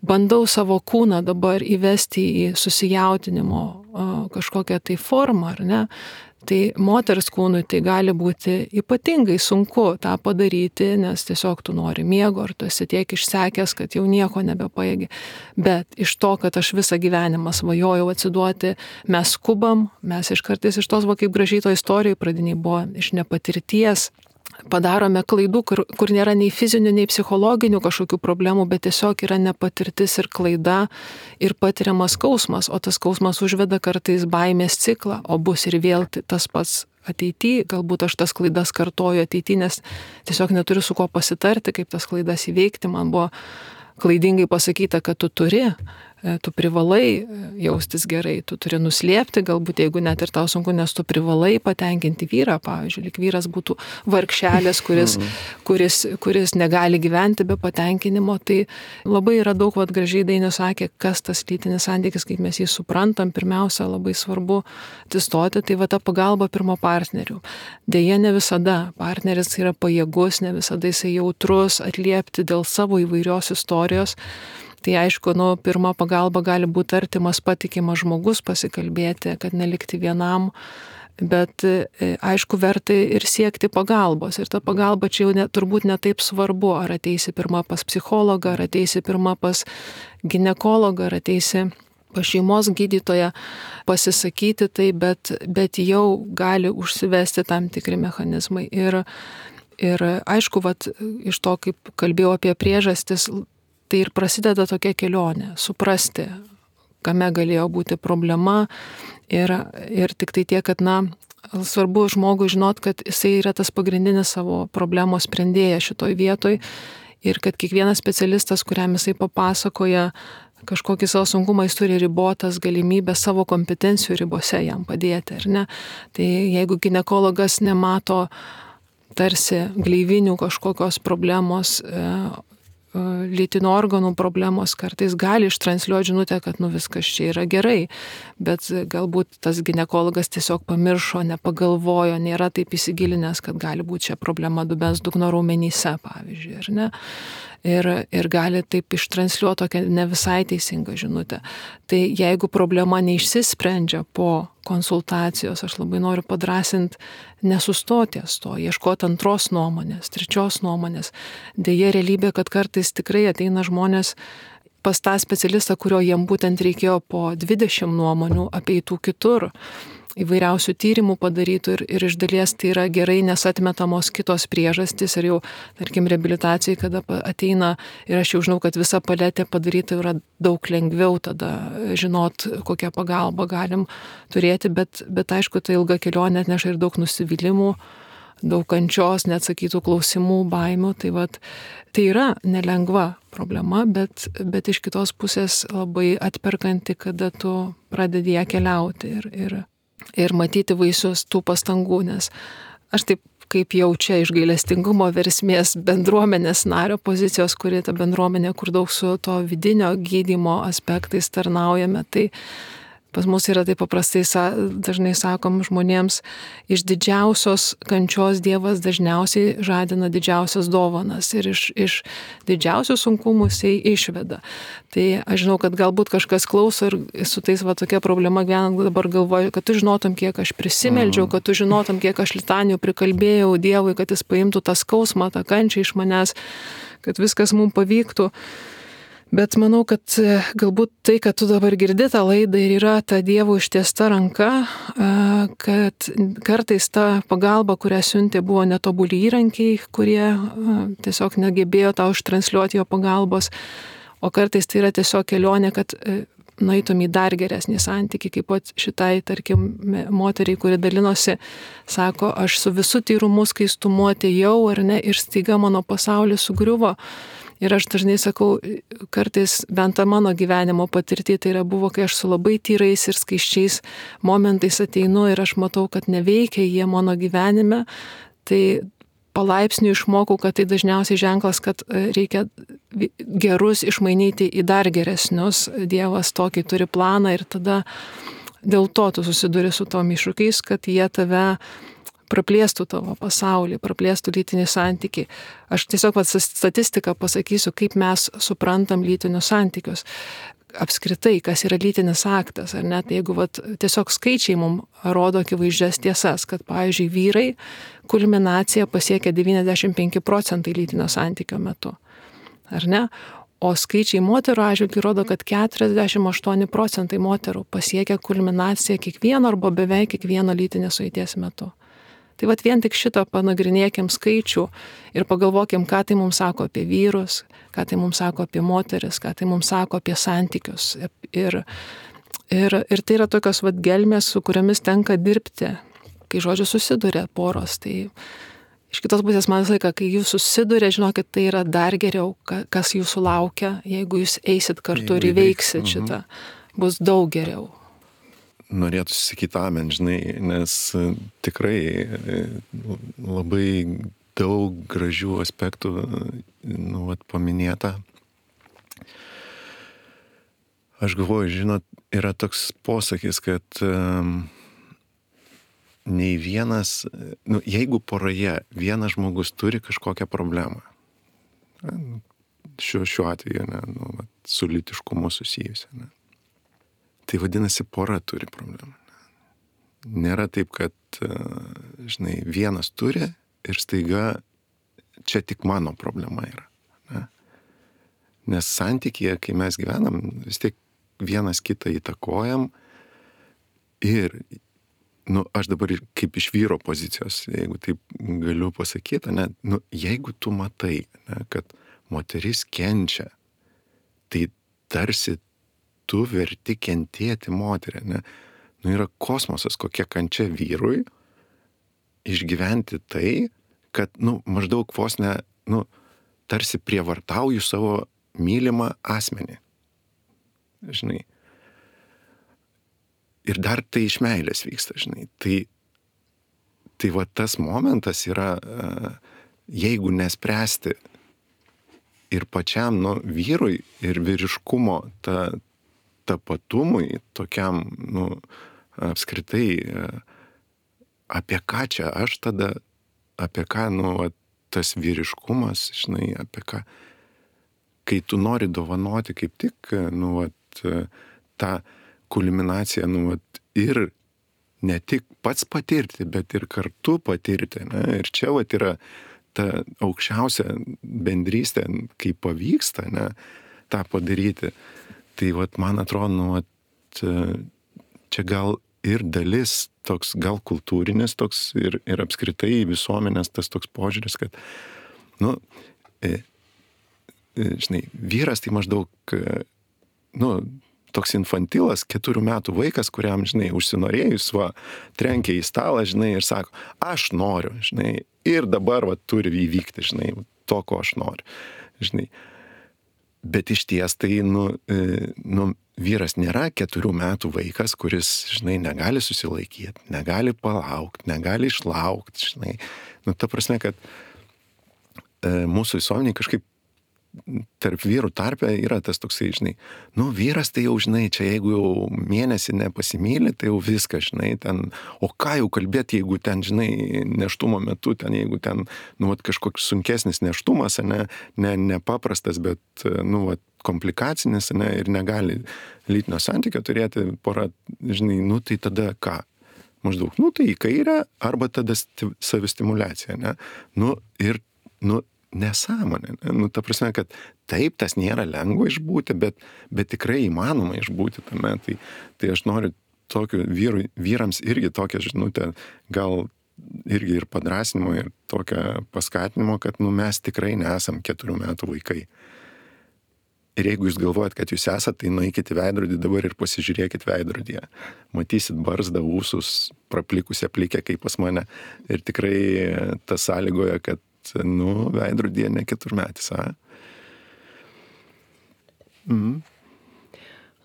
bandau savo kūną dabar įvesti į susijautinimo e, kažkokią tai formą, ar ne? Tai moters kūnui tai gali būti ypatingai sunku tą padaryti, nes tiesiog tu nori miego, ar tu esi tiek išsekęs, kad jau nieko nebepajėgi. Bet iš to, kad aš visą gyvenimą svajojau atsiduoti, mes skubam, mes iš kartais iš tos, va, kaip gražiai to istorijoje pradiniai buvo, iš nepatirties, padarome klaidų, kur, kur nėra nei fizinių, nei psichologinių kažkokių problemų, bet tiesiog yra nepatirtis ir klaida ir patiriamas skausmas, o tas skausmas užveda kartais baimės ciklą, o bus ir vėl tas pats ateityje, galbūt aš tas klaidas kartoju ateityje, nes tiesiog neturiu su kuo pasitarti, kaip tas klaidas įveikti. Man buvo klaidingai pasakyta, kad tu turi, tu privalai jaustis gerai, tu turi nuslėpti, galbūt jeigu net ir tau sunku, nes tu privalai patenkinti vyrą, pavyzdžiui, lyg vyras būtų vargšelis, kuris, kuris, kuris negali gyventi be patenkinimo. Tai labai yra daug, vad gražiai Dainius sakė, kas tas lytinis santykis, kaip mes jį suprantam, pirmiausia, labai svarbu atsistoti, tai va ta pagalba pirmo partnerių. Deja, ne visada partneris yra pajėgus, ne visada jisai jautrus atliepti dėl savo įvairios istorijos. Tai aišku, nu, pirma pagalba gali būti artimas, patikimas žmogus, pasikalbėti, kad nelikti vienam, bet aišku, verta ir siekti pagalbos. Ir ta pagalba čia jau ne, turbūt ne taip svarbu, ar ateisi pirma pas psichologą, ar ateisi pirma pas ginekologą, ar ateisi pas šeimos gydytoją pasisakyti tai, bet, bet jau gali užsivesti tam tikri mechanizmai. Ir, ir aišku, vat, iš to, kaip kalbėjau apie priežastis, tai ir prasideda tokia kelionė, suprasti, kame galėjo būti problema ir, ir tik tai tiek, kad, na, svarbu žmogui žinot, kad jisai yra tas pagrindinis savo problemos sprendėjas šitoj vietoj ir kad kiekvienas specialistas, kuriam jisai papasakoja kažkokį savo sunkumą, jis turi ribotas galimybės savo kompetencijų ribose jam padėti, ar ne? Tai jeigu ginekologas nemato tarsi gleivinių kažkokios problemos, lytinių organų problemos, kartais gali ištransliuoti žinutę, kad nu viskas čia yra gerai, bet galbūt tas ginekologas tiesiog pamiršo, nepagalvojo, nėra taip įsigilinęs, kad gali būti čia problema dubens dugno raumenyse, pavyzdžiui, ar ne? Ir, ir gali taip ištransliuoti tokią ne visai teisingą žinutę. Tai jeigu problema neišsisprendžia po konsultacijos, aš labai noriu padrasinti nesustoti ties to, ieškoti antros nuomonės, trečios nuomonės. Deja, realybė, kad kartais tikrai ateina žmonės pas tą specialistą, kurio jiem būtent reikėjo po dvidešimt nuomonių apeitų kitur, įvairiausių tyrimų padarytų ir, ir iš dalies tai yra gerai, nes atmetamos kitos priežastys ir jau, tarkim, reabilitacijai, kada ateina ir aš jau žinau, kad visa paletė padaryta yra daug lengviau tada žinot, kokią pagalbą galim turėti, bet, bet aišku, tai ilga kelionė atneša ir daug nusivylimų, daug kančios, neatsakytų klausimų, baimių, tai vat, tai yra nelengva problema, bet, bet iš kitos pusės labai atperkanti, kada tu pradedi ją keliauti ir, ir ir matyti vaisius tų pastangų, nes aš taip kaip jaučia iš gailestingumo versmės bendruomenės nario pozicijos, kuri ta bendruomenė, kur daug su to vidinio gydymo aspektais tarnaujame, tai pas mus yra taip paprastai, dažnai sakom žmonėms, iš didžiausios kančios Dievas dažniausiai žadina didžiausias dovanas ir iš, iš didžiausių sunkumų jisai išveda. Tai aš žinau, kad galbūt kažkas klauso ir su tais va tokia problema gyvenant dabar galvoju, kad tu žinotum, kiek aš prisimeldžiau, kad tu žinotum, kiek aš litanijų prikalbėjau Dievui, kad jis paimtų tą skausmą, tą kančią iš manęs, kad viskas mums pavyktų. Bet manau, kad galbūt tai, kad tu dabar girdi tą laidą ir yra ta Dievo ištiesta ranka, kad kartais ta pagalba, kurią siuntė, buvo netobuli įrankiai, kurie tiesiog negebėjo tau ištransliuoti jo pagalbos, o kartais tai yra tiesiog kelionė, kad nueitum į dar geresnį santykį, kaip pat šitai, tarkim, moteriai, kuri dalinosi, sako, aš su visu tyrumu skaistumu atėjau, ar ne, ir staiga mano pasaulis sugriuvo. Ir aš dažnai sakau, kartais bent tą mano gyvenimo patirtį, tai yra buvo, kai aš su labai tyrais ir skaiščiais momentais ateinu ir aš matau, kad neveikia jie mano gyvenime, tai palaipsniui išmokau, kad tai dažniausiai ženklas, kad reikia gerus išmainyti į dar geresnius. Dievas tokį turi planą ir tada dėl to tu susiduri su tom iššūkiais, kad jie tave praplėstų tavo pasaulį, praplėstų lytinį santykį. Aš tiesiog vat, statistiką pasakysiu, kaip mes suprantam lytinius santykius. Apskritai, kas yra lytinis aktas, ar net jeigu vat, tiesiog skaičiai mums rodo akivaizdžias tiesas, kad, pavyzdžiui, vyrai kulminaciją pasiekia devyniasdešimt penki procentai lytinio santykio metu. Ar ne? O skaičiai moterų atžvilgiu rodo, kad keturiasdešimt aštuoni procentai moterų pasiekia kulminaciją kiekvieno arba beveik kiekvieno lytinės sueities metu. Tai vat vien tik šitą panagrinėkim skaičių ir pagalvokim, ką tai mums sako apie vyrus, ką tai mums sako apie moteris, ką tai mums sako apie santykius. Ir, ir, ir tai yra tokios vat gelmės, su kuriomis tenka dirbti, kai žodžiu susiduria poros. Tai iš kitos pusės man visą laiką, kai jūs susiduria, žinokit, tai yra dar geriau, kas jūsų laukia, jeigu jūs eisit kartu ir įveiksit šitą, bus daug geriau. Norėtųsi sakyti amen, žinai, nes tikrai labai daug gražių aspektų, nu, vat, paminėta. Aš galvoju, žinot, yra toks posakis, kad um, nei vienas, nu, jeigu poroje vienas žmogus turi kažkokią problemą, šiuo, šiuo atveju, ne, nu, vat, su lytiškumu susijusią, ne, tai vadinasi, pora turi problemą. Nėra taip, kad, žinai, vienas turi ir staiga čia tik mano problema yra. Ne? Nes santykyje, kai mes gyvenam, vis tiek vienas kitą įtakojam ir, nu, aš dabar kaip iš vyro pozicijos, jeigu taip galiu pasakyti, ne, nu, jeigu tu matai, ne, kad moteris kenčia tai tarsi tu verti kentėti moterį, ne? Nu yra kosmosas, kokia kančia vyrui išgyventi tai, kad, nu, maždaug vos ne, nu, tarsi prievartauju savo mylimą asmenį. Žinai. Ir dar tai iš meilės vyksta, žinai. Tai, tai va tas momentas yra, jeigu nespręsti ir pačiam, nu, vyrui ir vyriškumo ta, tapatumui, tokiam, nu, apskritai, apie ką čia aš tada, apie ką, nu, tas vyriškumas, žinai, apie ką, kai tu nori dovanoti kaip tik, nu, vat, tą kulminaciją, nu, vat, ir ne tik pats patirti, bet ir kartu patirti, ne? Ir čia, vat, yra ta aukščiausia bendrystė, kai pavyksta, ne, tą padaryti. Tai, vat, man atrodo, nu, vat, čia gal ir dalis toks, gal kultūrinis toks ir, ir apskritai visuomenės tas toks požiūris, kad, nu, e, žinai, vyras tai maždaug, nu, toks infantilas, keturių metų vaikas, kuriam, žinai, užsinorėjus, va, trenkia į stalą, žinai, ir sako, aš noriu, žinai, ir dabar, va, turi įvykti, žinai, to, ko aš noriu, žinai. Bet iš ties tai, nu, nu, vyras nėra keturių metų vaikas, kuris, žinai, negali susilaikyti, negali palaukti, negali išlaukti, žinai. Nu, ta prasme, kad e, mūsų visuomeniai kažkaip tarp vyrų tarpe yra tas toksai, žinai, nu, vyras tai jau, žinai, čia jeigu jau mėnesį nepasimyli, tai jau viskas, žinai, ten, o ką jau kalbėti, jeigu ten, žinai, nėštumo metu, ten, jeigu ten, nu, vat, kažkoks sunkesnis nėštumas, ne, ne, nepaprastas, bet, nu, vat, komplikacinis, ne, ir negali lytinio santykio turėti pora, žinai, nu, tai tada ką? Maždaug, nu, tai į kairę, arba tada savistimuliacija, ne? Nu, ir, nu, nesąmonė. Nu, ta prasme, kad taip, tas nėra lengva išbūti, bet, bet tikrai įmanoma išbūti tame. Tai, tai aš noriu tokių vyrų, vyrams irgi tokią žinutę, gal irgi ir padrasnimo, ir tokią paskatinimo, kad, nu, mes tikrai nesam keturių metų vaikai. Ir jeigu jūs galvojat, kad jūs esat, tai nueikit į veidrodį dabar ir pasižiūrėkit veidrodyje. Matysit barzdą, ūsus, praplikusią plikę kaip pas mane. Ir tikrai tas sąlygoja, kad, nu, veidrodyje ne keturmetis, a? Mhm.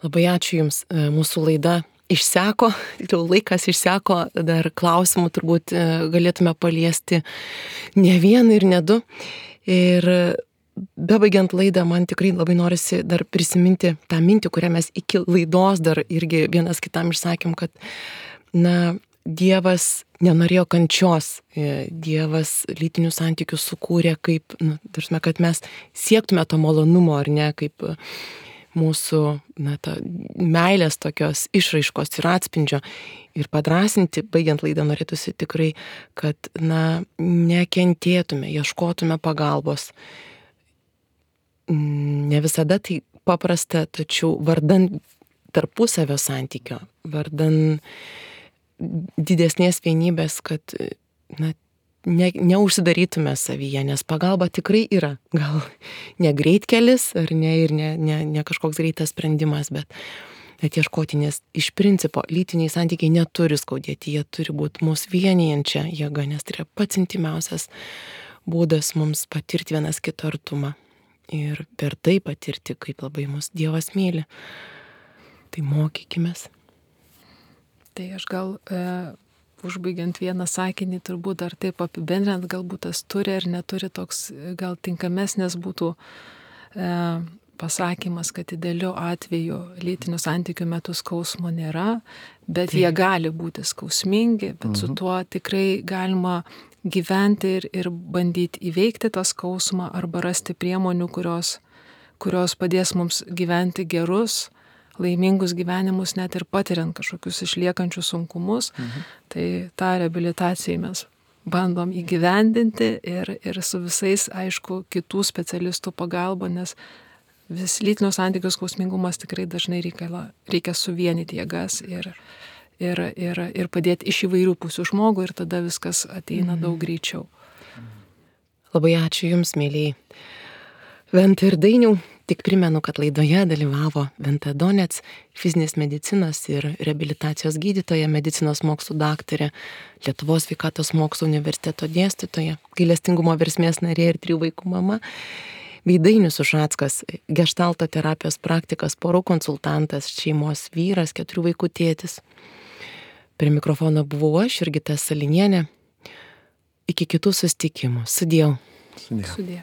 Labai ačiū Jums. Mūsų laida išseko, jau laikas išseko, dar klausimų turbūt galėtume paliesti ne vieną ir ne du. Ir bebaigiant laidą, man tikrai labai norisi dar prisiminti tą mintį, kurią mes iki laidos dar irgi vienas kitam išsakėm, kad, na, Dievas nenorėjo kančios, Dievas lytinių santykių sukūrė kaip, nu, tarsi, kad mes siektume to malonumo, ar ne, kaip mūsų, na, ta meilės tokios išraiškos ir atspindžio. Ir padrasinti, baigiant laidą, norėtųsi tikrai, kad, na, nekentėtume, ieškotume pagalbos. Ne visada tai paprasta, tačiau vardan tarpusavio santykio, vardan didesnės vienybės, kad, na, ne, neužsidarytume savyje, nes pagalba tikrai yra. Gal ne greitkelis, ar ne, ir ne, ne, ne kažkoks greitas sprendimas, bet ieškoti, nes iš principo lytiniai santykiai neturi skaudėti, jie turi būti mūsų vienijančia jėga, nes tai yra pats intimiausias būdas mums patirti vienas kito artumą. Ir per tai patirti, kaip labai mus Dievas myli. Tai mokykimės. Tai aš gal, e, užbaigiant vieną sakinį, turbūt dar taip apibendrinant, galbūt tas turi ar neturi toks, gal tinkamesnės būtų e, pasakymas, kad idealiu atveju lytinių santykių metu skausmo nėra, bet tai jie gali būti skausmingi, bet mhm. su tuo tikrai galima gyventi ir, ir bandyti įveikti tą skausmą arba rasti priemonių, kurios, kurios padės mums gyventi gerus, laimingus gyvenimus, net ir patiriant kažkokius išliekančius sunkumus. Mhm. Tai tą reabilitaciją mes bandom įgyvendinti ir, ir su visais, aišku, kitų specialistų pagalba, nes vis lytinio santykių skausmingumas tikrai dažnai reikia, reikia suvienyti jėgas ir, ir, ir, ir padėti iš įvairių pusių žmogų ir tada viskas ateina mhm. daug greičiau. Labai ačiū Jums, mėlyjei Venta ir Dainiau. Tik primenu, kad laidoje dalyvavo Venta Donec, fizinės medicinos ir reabilitacijos gydytoja, medicinos mokslų daktarė, Lietuvos sveikatos mokslų universiteto dėstytoja, gailestingumo versmės narė ir trijų vaikų mama, bei Dainius Ušackas, geštalto terapijos praktikas, porų konsultantas, šeimos vyras, keturių vaikų tėtis. Prie mikrofono buvau aš, Jurgita Salinienė. Iki kitų susitikimų. Sudiev. Sudie. Sudie.